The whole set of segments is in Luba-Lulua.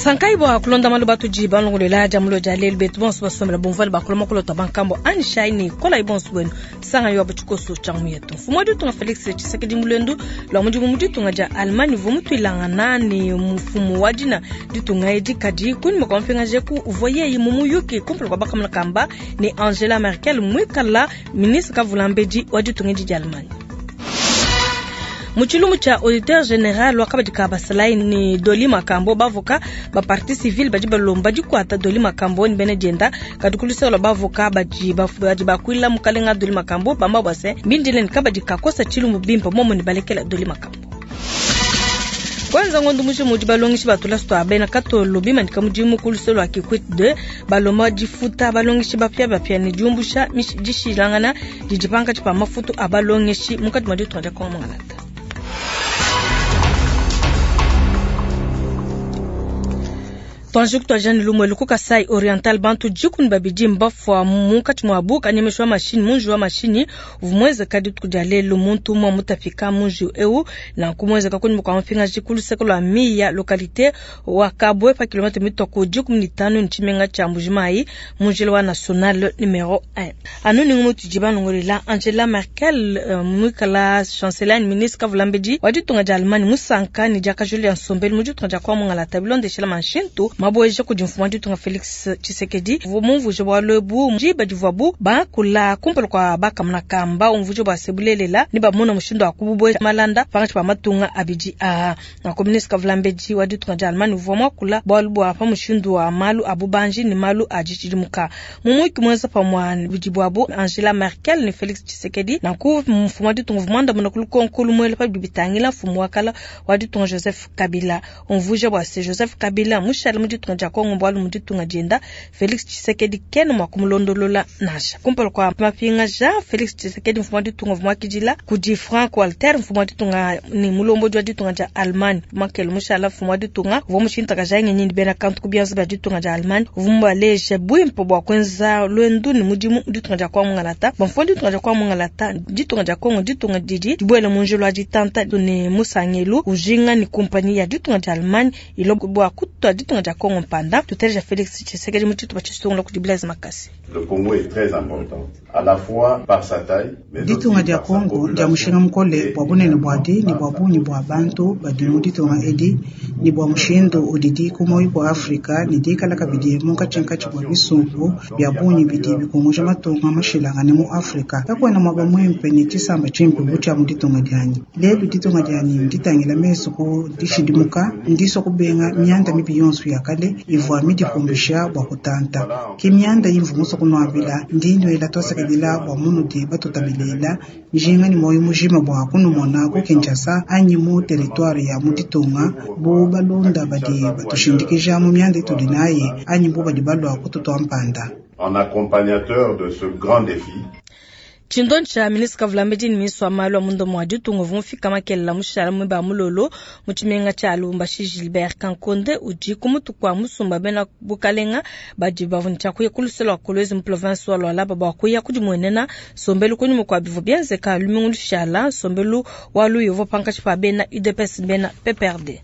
Sankayi bua kulonda malu batudi balongolola dia mulo dia lelu betu bonso basombela bumvuale bakula makolo bankambo anyishayi ne kolayi bonso buenu sangayi wa tshikoso tshia mu yetu. Mfumu wa ditunga Felix Tshisekedi mu lua mudimu mu ditunga dia Allemagne uvua mutuilangana ne mfumu wa dina ditunga edi kadi kunyima kua mupingajeku uvua yeye mu muyuki kumpala kua bakamuna kamba ne Angela Merkel muikala ministre kavulambedi wa ditunga edi dia Allemagne. Mu tshilumbu tshia auditeur general wa kabadi ka basalayi ne Doli Makambo bavoka ba partie civile badi balomba dikuata Doli Makambo ne bena dienda kadi ku luseke lua bavoka badi badi bakuila mukalenga Doli Makambo bamba bua se mbindile ne kabadi kakosa tshilumbu bimpe momo ne balekela Doli Makambo. Kwanza ngondo mujima udi balongeshi ba tulasa tua bena katolo bimanyika mudimu ku luse lua Kikwit 2 balomba difuta balongeshi bapiabapia ne diumbusha dishilangana didi pankatshi pa mafutu a balongeshi munkatshi mua ditunga dia Kongo Mongala. Tuanji kutuajani lumwe ku Kasai Oriental bantu dikumi babidi mbafua munkatshi muabu kanyemesha wa mashinyi munji wa mashinyi uvua muenzeka dituku dia lelu muntu umue mutapika munji eu nanku muenzeka kunyima kua mupingaji ku luseke lua Miya localité wa Kabwe pa kilomètre mitua ku 15 ne tshimenga tshia Mbujimayi mu njila wa national numero 1. Anu ningu mutudi banongolela Angela Merkel uh, muikala chancelier ni ministre kavulambedi wa ditunga dia Allemagne musanka ne diakajulu dia nsombelu mu ditunga dia kwa mungalata bilondeshela manshintu mabueja kudi mfumu wa ditunga Felix Tshisekedi uvua mumvuje bualu ebu diba divuabu bakula kumpala kua bakamuna kamba umvuje bua se bulelela ne bamona mushindu wa kububueja malanda pankatshi pa matunga abidi aa. Nanku ministre kavulambedi wa ditunga dia Allemagne uvua muakula bualu bua pa mushindu wa malu a bubanji ne malu a ditshidimuka. Mu muyuki muenza pamue budi buabu Angela Merkel ne Felix Tshisekedi nanku mfumu wa ditunga uvua muandamuna ku lukonko lumuela pa bidi bitangila mfumu wa kala wa ditunga Joseph Kabila. Umvuija bua se Joseph Kabila mushale mu ditunga dia Kongo bualu mu ditunga dienda Felix Tshisekedi kena mua kumulondolola nansha. Kumpala kua mapingaja Felix Tshisekedi mfumu wa ditunga uvua muakidila kudi Frank Walter mfumu wa ditunga ne mulombodi wa ditunga dia Allemagne. Merkel mushala mfumu wa ditunga uvua mushintakaja ngenyi ne bena kantu ku bianza bia ditunga dia Allemagne uvua mubaleja buimpe bua kuenza luendu ne mudimu mu ditunga dia kwa mungalata. Bua mfumu wa ditunga dia kwa mungalata ditunga dia Kongo ditunga didi dibuela mu njila wa ditanta ne musangelu ujinga ne kumpanyi ya ditunga dia Allemagne ilo bua kutua ditunga dia Kongo mpanda. Tuteleja Felix Tshisekedi mu tshitupa tshisungula kudi Blaise Makasi. Le Congo est très important, à la fois par sa taille, mais aussi Ditunga dia par sa Kongo dia population mushinga mukole et bua bunene également buadi ne par bua sa bungi bua bantu badi mu ditunga edi ne bua mushindu udidi ku muoyo kua Afrika ne dikala kabidi munkatshinkatshi bua bisumbu bia bungi bidi bikunguja matunga mashilangane mu Afrika. Kakuena muaba muimpe ne tshisamba tshimpe bu tshia mu ditunga dianyi. Lelu ditunga dianyi nditangila mesu ku dishidimuka, ndisua kubenga mianda mibi yonso ya kale ivua midipumbisha bua kutanta. Ke mianda imvua musue kunuambila, ndi nnuela tuasakidila bua munudi batutabelela njinga ne muoyo mujima bua kunumona ku Kinshasa anyi mu territoire ya mu ditunga bu balunda badi batushindikija mu mianda itudi nayi anyi bu badi balua kututua mpanda. En accompagnateur de ce grand défi, Tshindonyi tsha ministre kavulambedi ne ministre wa malu a munda mua ditunga uvua mufika makelela mushala muiba mulolo mu tshimenga tshia Lubumbashi. Gilbert Kankonde udi ku mutu kua musumba bena bukalenga badi bavua ne tshia kuya ku luse lua Kolwezi mu province wa Lualaba bua kuya kudimuenena nsombelu kunyima kua bivua bienzeka lumingu lushala nsombelu wa luya uvua pankatshi pa bena UDPS ne bena PPRD.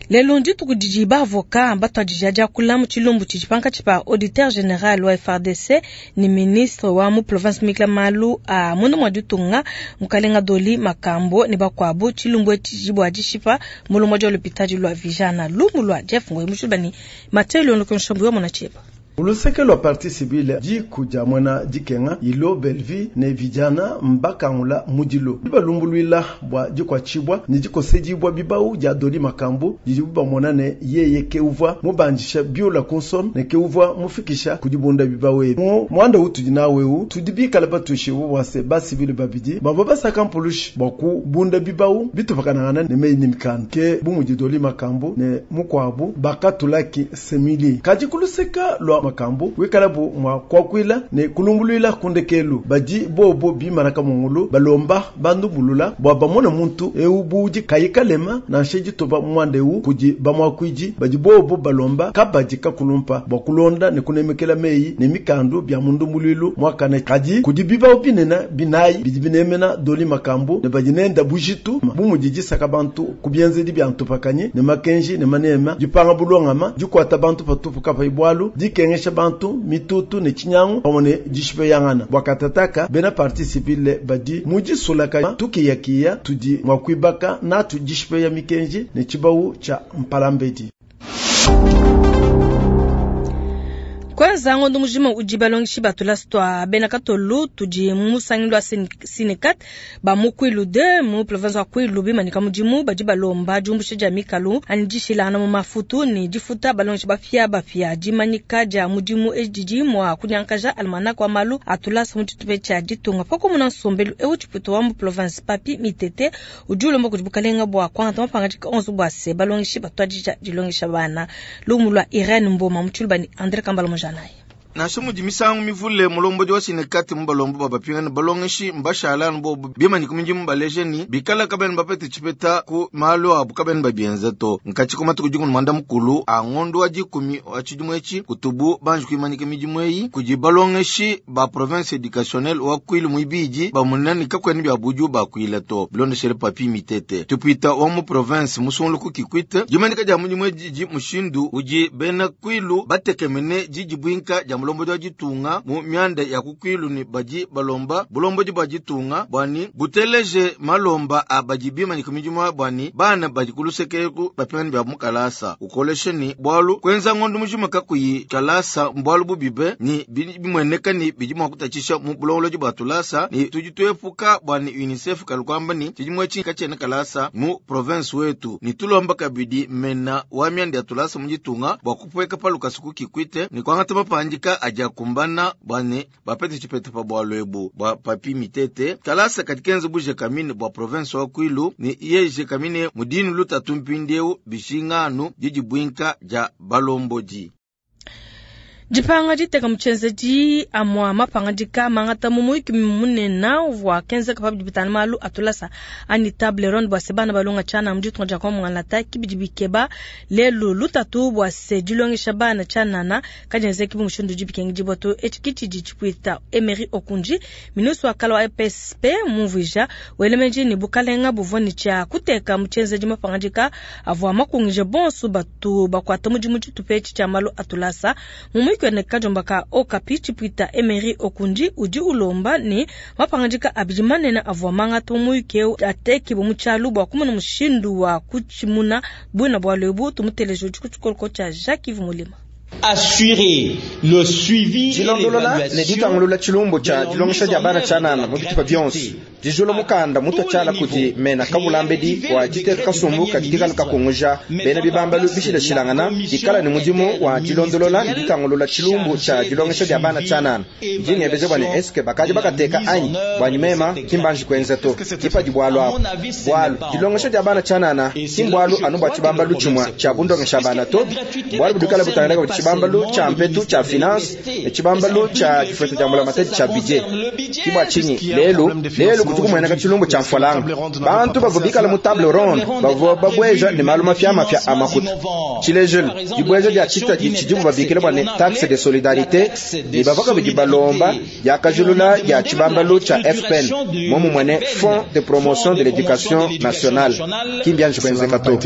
Lelu ndituku didi bavoka batuadija diakula mu tshilumbu tshidi pankatshi pa auditeur general wa FARDC ne ministre wa mu province mikla malu a munda mua ditunga mukalenga Doli Makambo ne bakuabu. Tshilumbu etshi bua dishipa mulombodi wa lupitadi lua Vijana lumu lua Jeff Ngoyi mushiba ni Mathieu Lyondo Nshombo wa tshieba. Uluseke lwa parti civile diku dia mwena dikenga ilo Belvi ne vijana mbakangula mudilo dibalumbulwila bua dikuatshibua ne dikosedibua bibau dia Doli Makambo didibu bamona ne yeye ke uvua mubandisha biola ku nsome ne ke uvua mufikisha ku dibunda bibau ebi. Mu muanda utudi nawu eu tudi bikale batuishibue bua se basivile babidi bavua basaka mpulushi bua kubunda bibau bitupakanangana ne meyi ne mikanda ke bu mudi Doli Makambo ne mukuabu bakatulaki semili. Kadi ku luseka lua Makambu wikalabu mua kuakuila ne kulumbuluila ku ndekelu. Badi bobo bimana kamungulu balomba bandumbulula bua bamone muntu eu budi kayi kalema nansha ditoba muanda eu kudi bamuakuidi badi bobo balomba kabadi kakulumpa bua kulonda ne kunemekela meyi ne mikandu bia mundumbuluilu muakane. Kadi kudi bibawu binene binayi bidi binemena Doli Makambu ne badi nenda bujitu bu mudi disaka bantu ku bienzedi bia ntupakanyi ne makenji ne manema, dipanga bulongama, dikuata bantu patupu kapayi bualu, dikengesha bantu mitutu ne tshinyangu pamue ne dishipeyangana. Bua katataka bena parti civile badi mu disulaka tukiyakiya tudi mua kuibaka natu dishipeya mikenji ne tshibawu tshia mpalambedi. Kwanza ngondo mujima udi balongeshi ba tulasa tua bena katolu tudi mu musangilu wa Sinekat ba mu Kwilu 2 mu province wa Kwilu bimanyika mudimu badi balomba diumbusha dia mikalu anyi dishilangana mu mafutu ne difuta balongeshi bapia bapia. Dimanyika dia mudimu edi didi mua kunyankaja almanach wa malu a tulasa mu tshitupa tshia ditunga. Pakumuna nsombelu eu tshipuita wa mu province Papi Mitete udi ulomba kudi bukalenga bua kuangata mapangadika onso bua se balongeshi batuadija dilongesha bana. Lumu lua Irene Mboma mu Tshiluba ne Andre Kambala Mujanayi. Nansha mudi misangu mivule mulombodi wa Sinekat mu balombo ba bapingana balongeshi mbashala anu bobu bimanyika midimu baleje ni bikala kabena bapete tshipeta ku malu abu kabena babienza to. Nkatshi ku matuku dikumi mwanda mukulu a ngondo wa dikumi wa tshidimu etshi kutubu banji kuimanyika midimu eyi kudi balongeshi ba province educationnelle wa Kwilu muibidi bamona ni kakuena bia budiu bakuila to. Bilondeshele Papi Mitete tupita wa mu province musungulu ku Kikwit dimanyika dia mudimu edi didi mushindu udi bena Kwilu batekemene didibwinka dia mulombodi wa ditunga mu mianda ya ku Kwilu ni badi balomba bulombodi bua ditunga bua ni buteleje malomba a badi bimanyika midimu bua ni bana badi ku luseke ku bapingana bia mu kalasa. Ukoleshe ni bualu kuenza ngondo mujima kakuyi kalasa mbualu bubibe ni bimueneka ni bidi mua kutatshisha mu bulongolodi bua tulasa ni tudi tuepuka bua ni UNICEF kalukwamba ni tshidimu etshi katshiena kalasa mu province wetu ni tulomba kabidi mena wa mianda ya tulasa mu ditunga bua kupueka palukasa ku Kikwit ni kuangata mapandika adi akumbana bua ne bapete tshipeta pa bualu ebu bua Papi Mitete. Kalasa kadi kenza bu Gécamines bua province wa Kwilu ni ye Gécamines mudinu lutatu mpindieu bishinganu didibwinka dia balombodi. Dipanga diteka mu tshienzedi amua mapangadika mangata mu muyuki munene uvua kenzeka pa bidi bitangila malu a tulasa anyi table ronde bua se bana balonga tshianana mu ditunga dia Kongo Muangalata ki bidi bikeba lelu lutatu bua se dilongesha bana tshianana kadienzeki bu mushindu udi bikengedibua to. Etshi ki tshidi tshipuita Emery Okundji, ministre wa kala wa EPSP mumvuija welemeji ne bukalenga buvua ne tshia kuteka mu tshienzedi mapangadika avua makungije bonso batu bakuata mudimu tshitupa etshi tshia malu a tulasa. Mu muyuki ne kajomba ka Okapi tshipuita Emery Okundji udi ulomba ne mapangadika abidi manene avua mangata mu muyuki eu atekibue mu tshialu bua kumona mushindu wa kutshimuna buina bualu ebu. Tumuteleje udi ku tshikoloko tshia Jacques Yves Mulima. Assurer le suivi et Dilondolola ne ditangulula tshilumbu tshia dilongesha dia bana tshianana mu bitupa bionso. Dijula mukanda mutua tshiala kudi mena kabulambedi wa diteka kasumbu kadi kikala kakunguja bena bibambalu bishilashilangana dikala ne mudimu wa dilondolola ne ditangulula tshilumbu tshia dilongesha dia bana tshianana. Ndi ngebeja bua ne eske bakadi bakateka anyi bua nyimema kimbanji kuenza to. Kipadi bualu abu. Bualu dilongesha dia bana tshianana ki mbualu anu bua tshibambalu tshimue tshia bundongesha bana to. Bualu budikala butangila kudi tshibambalu tshia mpetu tshia finance ne tshibambalu tshia difeto dia mbulamatadi tshia budget. Ki bua tshinyi lelu lelu kudi kumueneka tshilumbu tshia mfualanga. Bantu bavua bikala mu table ronde bavua babweja ne malu mapia mapia a makuta. Tshilejelu dibweja dia tshitadi tshidibu babikila bua ne taxe de solidarité ne bavua kabidi balomba diakajulula dia tshibambalu tshia FPN momumue ne Fonds de promotion de l'éducation nationale. Ki mbianji kuenzeka to.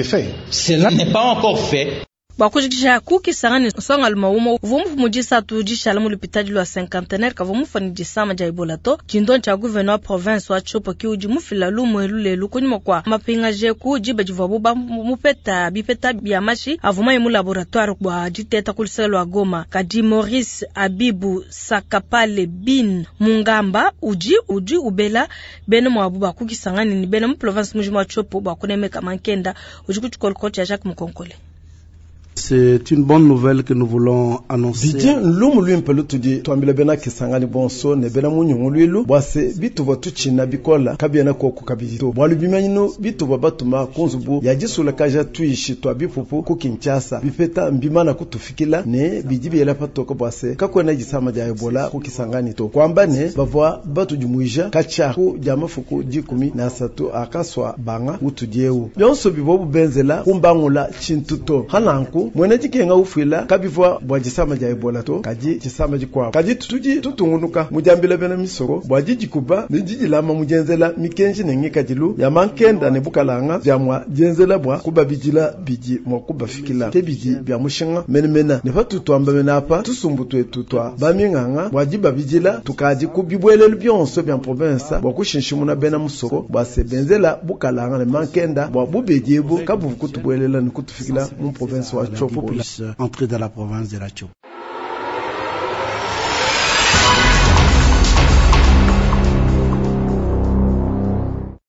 Cela n'est pas encore fait. Bua kujikija kukisanga ne nsongalume umue uvua mufu mu disatu dishala mu lupitadi lua cinquantenaire kavua mufua ne disama dia Ebola to. Tshindonyi tshia gouverneur wa province wa Tshopo ki udi mufila lumu elu lelu kunyima kua mapingaje ku diba divuabu bamupeta bipeta bia mashi avua mayi mu laboratoire bua diteta ku luseke lua Goma. Kadi Maurice Abibu Sakapale Bin Mungamba udi ubela bena muabu ba kukisanga ne bena mu province mujima wa Tshopo bua kunemeka mankenda. Udi ku tshikoloko tshia Jacques Mukonkole. C'est une bonne nouvelle que nous voulons annoncer. Bidi lumu luimpe lutudi tuambila bena Kisangani bonso ne bena munyunguluilu bua se bituvua tutshina bikola kabiena koku kabidi to. Bualu bimanyinu bituvua batuma ku nzubu ya disulakaja tuishi tua bipupu ku Kinshasa bipeta mbimana kutufikila ne bidi biela patoka bua se kakuena disama dia Ebola ku Kisangani to. Kuamba ne bavua batudimuija katshia ku dia mafuku 13 akasua banga utudi eu. Bionso bivua bubenzela kumbangula tshintu to. Hananku mwene dikenga ufuila kabivua bua disama dia Ebola to kadi disama dikuabu. Kadi tudi tutungunuka mu diambila bena misoko bua didikuba ne didilama mu dienzela mikenji ne ngikadilu ya mankenda ne bukalanga bia mua dienzela bua kubabidila bidi mua kubafikila ke bidi bia mushinga menemene ne patutuamba mene apa tusumbu tuetu tua baminganga bua dibabidila tukadi ku bibuelelu bionso bia province bua kushinshimuna bena musoko bua se benzela bukalanga ne mankenda bua bubedi ebu kabuvu kutubuelela ne kutufikila mu province wa Tshopo. Puisse entrer dans la province de la Tshopo.